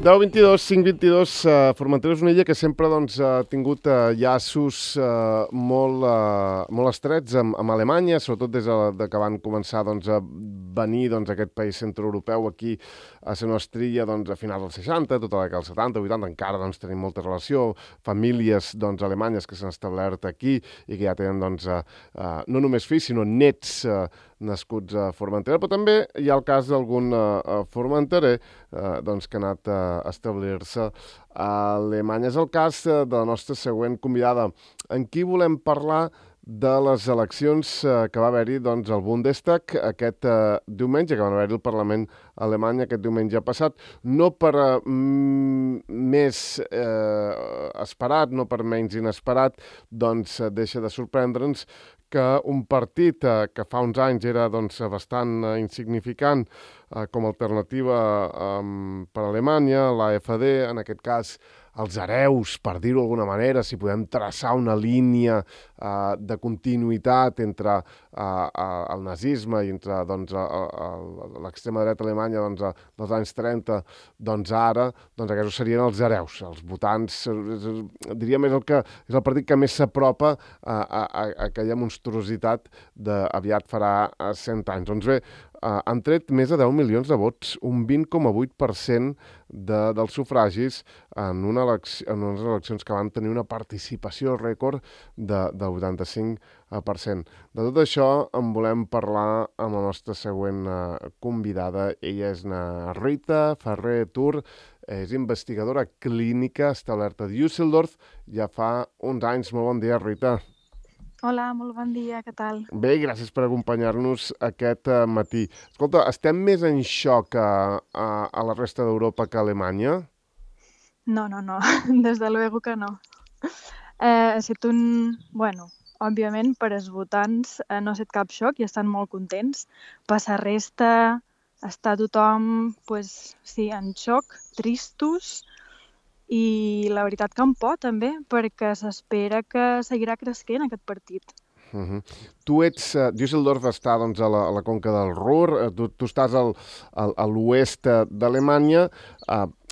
10-22, 5-22, Formentera és una illa que sempre ha tingut llaços molt estrets amb Alemanya, sobretot des que van començar a venir aquest país centroeuropeu aquí a ser una estrella a finals dels 60, tota la década dels 70, 80, encara tenim molta relació, famílies alemanyes que s'han establert aquí i que ja tenen no només fills, sinó nets nascuts a Formentera, però també hi ha el cas d'algun formenterer que ha anat a establir-se a Alemanya. És el cas de la nostra següent convidada. En qui volem parlar de les eleccions que va haver-hi al Bundestag aquest diumenge, que va haver-hi al Parlament alemany aquest diumenge passat, no per més esperat, no per menys inesperat, deixa de sorprendre'ns que un partit que fa uns anys era bastant insignificant com a alternativa per a Alemanya, l'AfD, en aquest cas els hereus, per dir-ho d'alguna manera, si podem traçar una línia de continuïtat entre el nazisme i entre l'extrema dreta alemanya dels anys 30, ara, aquests serien els hereus, els votants, diria més és el partit que més s'apropa a aquella monstruositat d'aviat farà 100 anys. Doncs bé, han tret més de 10 milions de vots, un 20,8% dels sufragis en unes eleccions que van tenir una participació rècord del 85%. De tot això en volem parlar amb la nostra següent convidada. Ella és Rita Ferrer Tur, és investigadora clínica establerta a Düsseldorf ja fa uns anys. Molt bon dia, Rita. Hola, molt bon dia, què tal? Bé, gràcies per acompanyar-nos aquest matí. Escolta, estem més en xoc a la resta d'Europa que a Alemanya? No, desde luego que no. Ha estat òbviament per als votants no ha estat cap xoc i estan molt contents. Per la resta està tothom, en xoc, tristos, i la veritat que amb por també, perquè s'espera que seguirà creixent aquest partit. Tu ets... Düsseldorf està a la conca del Ruhr, tu estàs a l'oest d'Alemanya.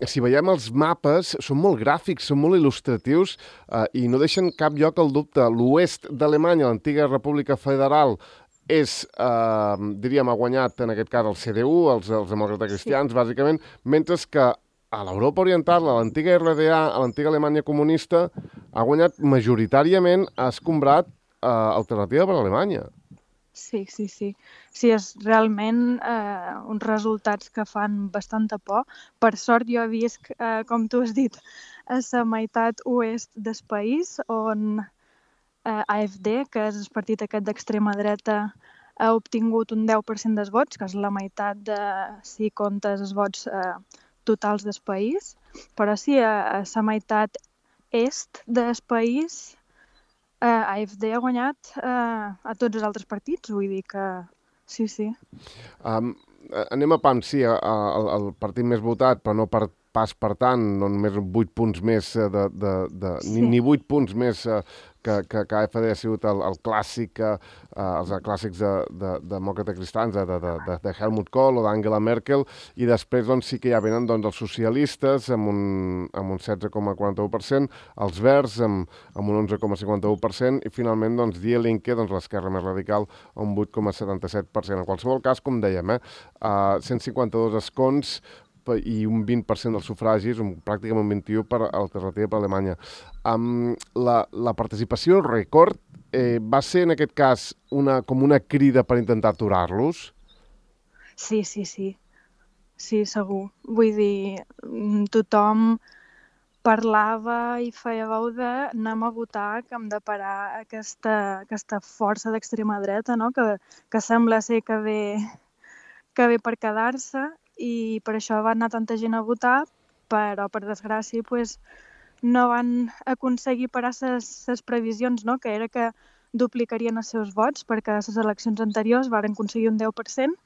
Si veiem els mapes, són molt gràfics, són molt il·lustratius i no deixen cap lloc al dubte. L'oest d'Alemanya, l'antiga República Federal, ha guanyat en aquest cas el CDU, els demòcrates cristians, bàsicament, mentre que a l'Europa Oriental, a l'antiga RDA, a l'antiga Alemanya comunista, ha guanyat majoritàriament, ha escombrat alternativa per a Alemanya. Sí. Sí, és realment uns resultats que fan bastanta por. Per sort jo he vist, com tu has dit, a la meitat oest del país, on AfD, que és el partit aquest d'extrema dreta, ha obtingut un 10% dels vots, que és la meitat si comptes els vots totals del país, però sí, a la meitat est del país AfD ha guanyat a tots els altres partits, vull dir que sí. Anem a pam, sí, el partit més votat, però no pas per tant, no només 8 punts més, ni 8 punts més que AfD ha sigut el clàssic, els clàssics de demòcrates cristians, de Helmut Kohl o d'Angela Merkel, i després sí que ja venen els socialistes amb un 16,41%, els verds amb un 11,51% i finalment Die Linke, l'esquerra més radical, un 8,77%. En qualsevol cas, com dèiem, 152 escons i un 20% dels sufragis, pràcticament un 21% per alternativa per a Alemanya. La participació rècord va ser, en aquest cas, com una crida per intentar aturar-los? Sí. Sí, segur. Vull dir, tothom parlava i feia veu de anem a votar, que hem de parar aquesta força d'extrema dreta, no? que sembla ser que ve per quedar-se, i per això va anar tanta gent a votar, però per desgràcia no van aconseguir parar les previsions, no? Que era que duplicarien els seus vots, perquè a les eleccions anteriors van aconseguir un 10%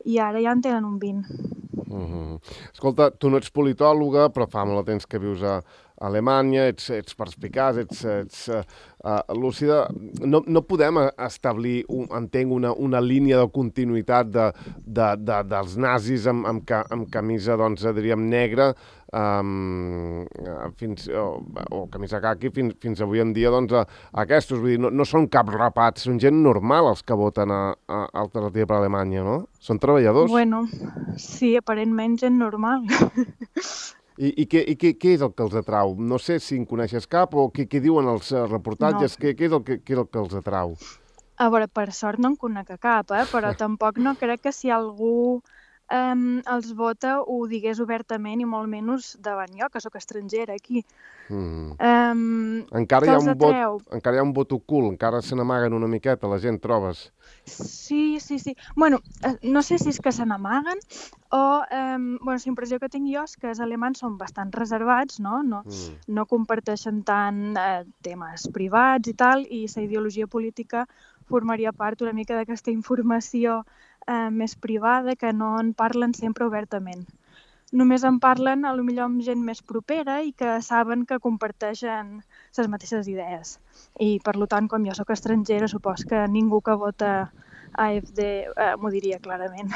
i ara ja en tenen un 20%. Escolta, tu no ets politòloga, però fa molt de temps que vius a Alemanya, ets perspicaç, ets lúcida. No podem establir, entenc, una línia de continuïtat dels nazis amb camisa, diríem, negra o camisa caqui fins avui en dia, doncs, aquests, vull dir, no són cap rapats, són gent normal els que voten a Alternativa per Alemanya, no? Són treballadors. Bueno, sí, aparentment gent normal. I què és el que els atrau? No sé si en coneixes cap o què diuen els reportatges, què és el que els atrau? A veure, per sort no en conec cap, però tampoc no crec que si algú els vota ho digués obertament i molt menys davant jo, que sóc estrangera aquí. Encara hi ha un vot ocult, encara se n'amaguen una miqueta la gent, trobes? Sí. Bueno, no sé si és que se n'amaguen o la impressió que tinc jo és que els alemans són bastant reservats, no comparteixen tant temes privats i tal, i la ideologia política formaria part una mica d'aquesta informació més privada, que no en parlen sempre obertament. Només en parlen potser amb gent més propera i que saben que comparteixen les mateixes idees. I per tant, com jo sóc estrangera, supos que ningú que vota AfD m'ho diria clarament.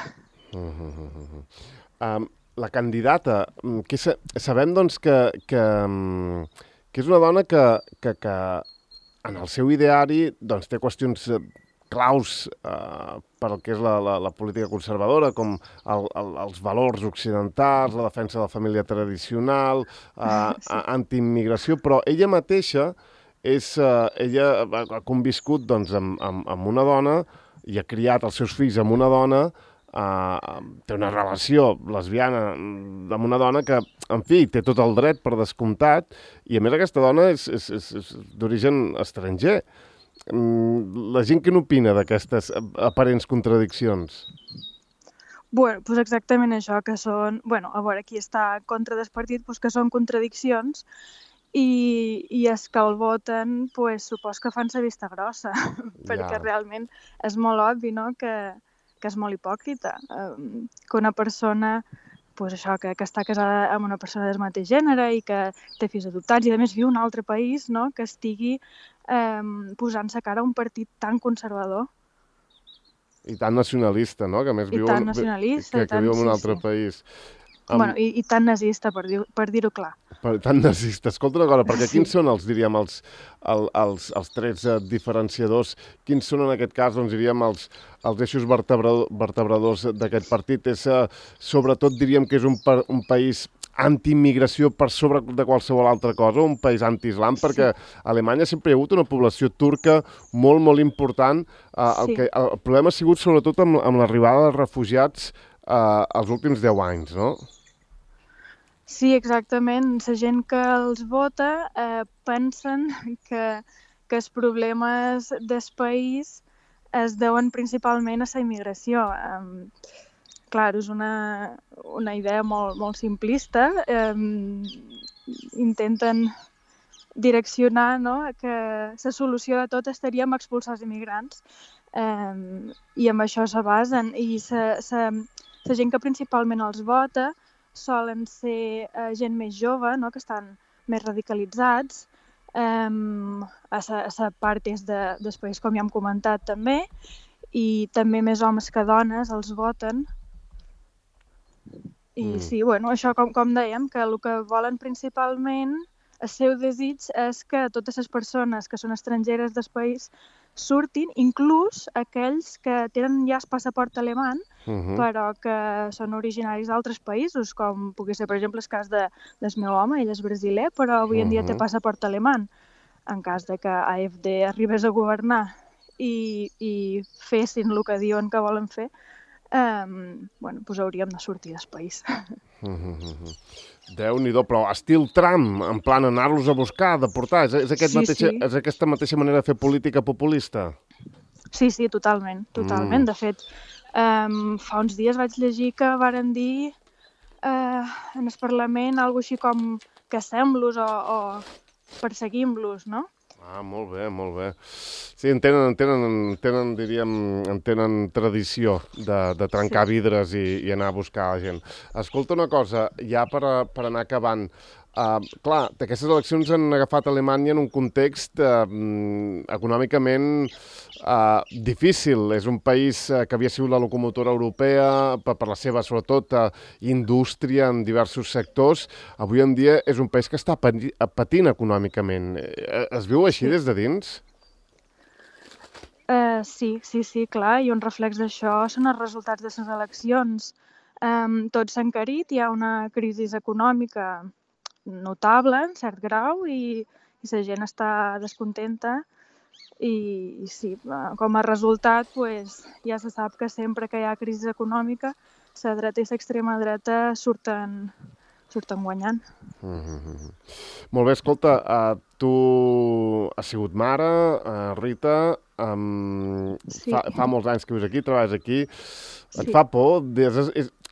La candidata, sabem doncs que és una dona que en el seu ideari doncs, té qüestions claus per al que és la política conservadora, com els valors occidentals, la defensa de la família tradicional, antiimmigració, però ella mateixa ella ha conviscut doncs, amb una dona i ha criat els seus fills amb una dona, té una relació lesbiana amb una dona que, en fi, té tot el dret per descomptat, i a més aquesta dona és d'origen estranger. La gent què n'opina d'aquestes aparents contradiccions? Bueno, doncs exactament això, que són... Bueno, a veure, qui està contra del partit, doncs que són contradiccions, i els que el voten, doncs supos que fan la vista grossa, perquè realment és molt obvi, no?, que és molt hipòcrita, que una persona, doncs això, que està casada amb una persona del mateix gènere i que té fills adoptats i a més viu en un altre país, no?, que estigui posant-se cara a un partit tan conservador. I tan nacionalista, no?, que a més viu en un altre país. Bueno, i tan nazista, per dir-ho clar. Tan nazista. Escolta una cosa, perquè quins són els trets diferenciadors? Quins són en aquest cas, doncs diríem, els eixos vertebradors d'aquest partit? Sobretot diríem que és un país anti-immigració per sobre de qualsevol altra cosa, un país anti-islam, perquè a Alemanya sempre hi ha hagut una població turca molt, molt important. El problema ha sigut sobretot amb l'arribada de refugiats els últims 10 anys, no? Sí, exactament. La gent que els vota pensen que els problemes del país es deuen principalment a la immigració. Clar, és una idea molt simplista. Intenten direccionar, no?, que la solució de tot estaria en expulsar els immigrants, i amb això se basen. I la gent que principalment els vota solen ser gent més jove, no?, que estan més radicalitzats, a la part est del país, com ja hem comentat també, i també més homes que dones els voten. I sí, bueno, això com dèiem, que el que volen principalment, el seu desig és que totes les persones que són estrangeres del país surtin, inclús aquells que tenen ja el passaport alemany, però que són originaris d'altres països, com pugui ser, per exemple, el cas del meu home, ell és brasiler, però avui en dia té passaport alemany. En cas de que AfD arribés a governar i fessin el que diuen que volen fer, doncs hauríem de sortir del país. Déu-n'hi-do, però estil Trump, en plan anar-los a buscar, deportar, és aquesta mateixa manera de fer política populista? Sí, totalment. De fet, fa uns dies vaig llegir que varen dir en el Parlament alguna cosa així com caçem-los o perseguim-los, no? Molt bé, molt bé. Sí, tenen tradició de trencar vidres i anar a buscar la gent. Escolta una cosa, ja per anar acabant, clar, aquestes eleccions han agafat Alemanya en un context econòmicament difícil. És un país que havia sigut la locomotora europea per la seva, sobretot, indústria en diversos sectors. Avui en dia és un país que està patint econòmicament. Es viu així des de dins? Sí, clar, i un reflex d'això són els resultats de les eleccions. Tot s'ha encarit, hi ha una crisi econòmica notable, en cert grau, i la gent està descontenta. I sí, com a resultat, pues, ja se sap que sempre que hi ha crisi econòmica, la dreta i l'extrema dreta surten guanyant. Molt bé, escolta, tu has sigut mare, Rita, Sí. fa molts anys que vius aquí, treballes aquí. Sí. Et fa por?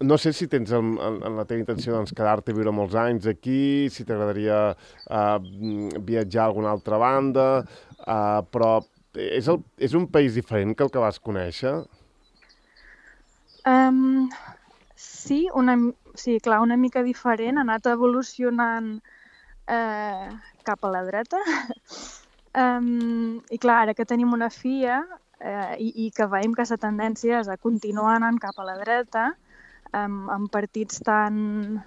No sé si tens en la teva intenció doncs, quedar-te a viure molts anys aquí, si t'agradaria viatjar a alguna altra banda, però és un país diferent que el que vas conèixer? Sí, clar, una mica diferent, ha anat evolucionant cap a la dreta. I clar, ara que tenim una filla i que veiem que la tendència és a continuar anant cap a la dreta, amb partits tan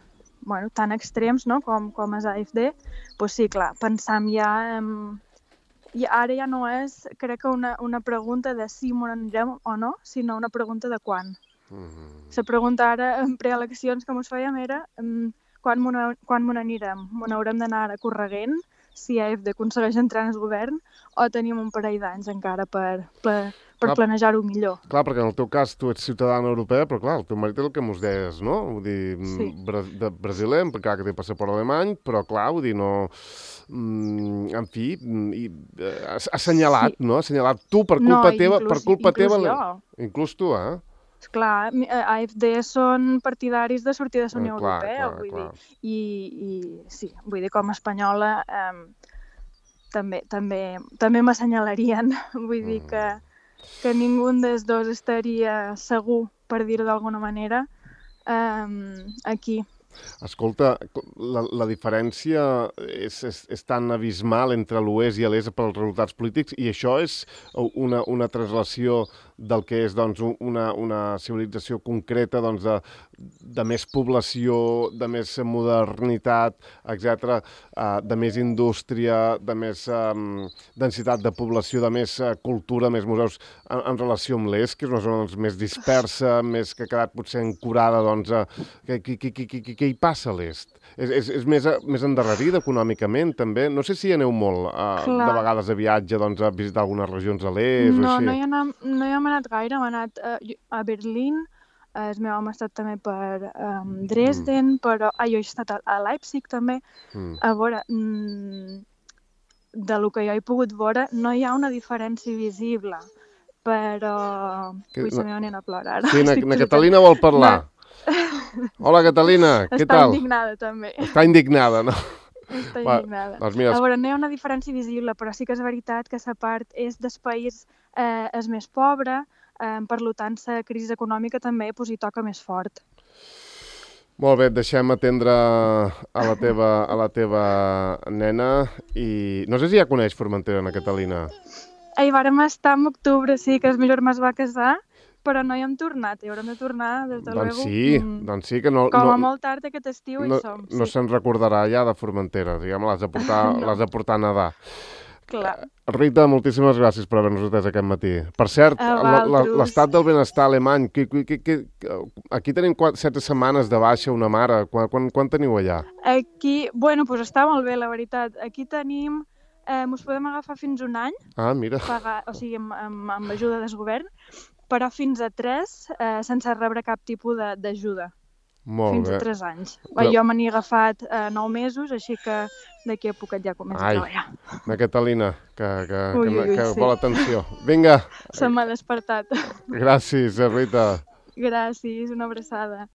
extrems, no? com és AfD, doncs sí, clar, pensam ja... I ara ja no és, crec que una pregunta de si m'ho anirem o no, sinó una pregunta de quan. La pregunta ara, en preeleccions que ens fèiem, era quan m'ho n'anirem? M'ho n'haurem d'anar ara corregent si AfD aconsegueix entrar en el govern o tenim un parell d'anys encara per planejar-ho millor. Clar, perquè en el teu cas tu ets ciutadana europea, però clar, el teu marit és el que mos deies, no? Vull dir, sí. Brasiler, clar que té passaport alemany, però clar, vull dir, no... en fi, assenyalat, sí. No? Assenyalat tu per culpa teva... Inclús tu, Clar, AfD són partidaris de sortir de la Unió Europea, vull dir, i sí, vull dir, com a espanyola també m'assenyalarien, vull dir que ningú dels dos estaria segur, per dir-ho d'alguna manera, aquí. Escolta, la diferència és tan abismal entre l'oest i l'est pels resultats polítics i això és una translació del que és doncs, una civilització concreta doncs, de més població, de més modernitat, etc., de més indústria, de més densitat de població, de més cultura, més museus, en relació amb l'est, que és una zona doncs, més dispersa, més que ha quedat potser ancorada, doncs, què hi passa a l'est? És més endarrerida econòmicament, també? No sé si hi aneu molt, de vegades a viatge, doncs, a visitar algunes regions a l'est o així. No hi hem anat gaire, hem anat a Berlín, el meu home ha estat també per Dresden, però jo he estat a Leipzig també. A veure, del que jo he pogut veure, no hi ha una diferència visible, però... Ui, la meva nena plora ara. Sí, na Catalina vol parlar. Hola, Catalina, què tal? Està indignada, també. Està indignada, no? Està indignada. Doncs mira, a veure, no hi ha una diferència visible, però sí que és veritat que la part és del país és més pobre, per tant, la crisi econòmica també hi toca més fort. Molt bé, et deixem atendre a la teva nena i no sé si ja coneix Formentera, na Catalina. Hi vàrem estar en octubre, sí, que el meu germà es va casar, però no hi hem tornat, hi haurem de tornar, des de doncs sí, que no... Com a molt tard aquest estiu hi som. No se'n recordarà ja de Formentera, diguem, l'has de portar a nedar. Clar. Rita, moltíssimes gràcies per haver-nos atès aquest matí. Per cert, l'estat del benestar alemany, aquí tenim 7 setmanes de baixa una mare, quan teniu allà? Aquí, doncs està molt bé, la veritat. Aquí tenim, us podem agafar fins un any, mira. O sigui, amb ajuda del govern, però fins a 3 sense rebre cap tipus d'ajuda. Molt fins bé. A 3 anys. Jo me n'he agafat 9 mesos, així que d'aquí a poquet ja començo a treballar. Na Catalina, que vol atenció. Vinga. Se m'ha despertat. Gràcies, Rita. Gràcies, una abraçada.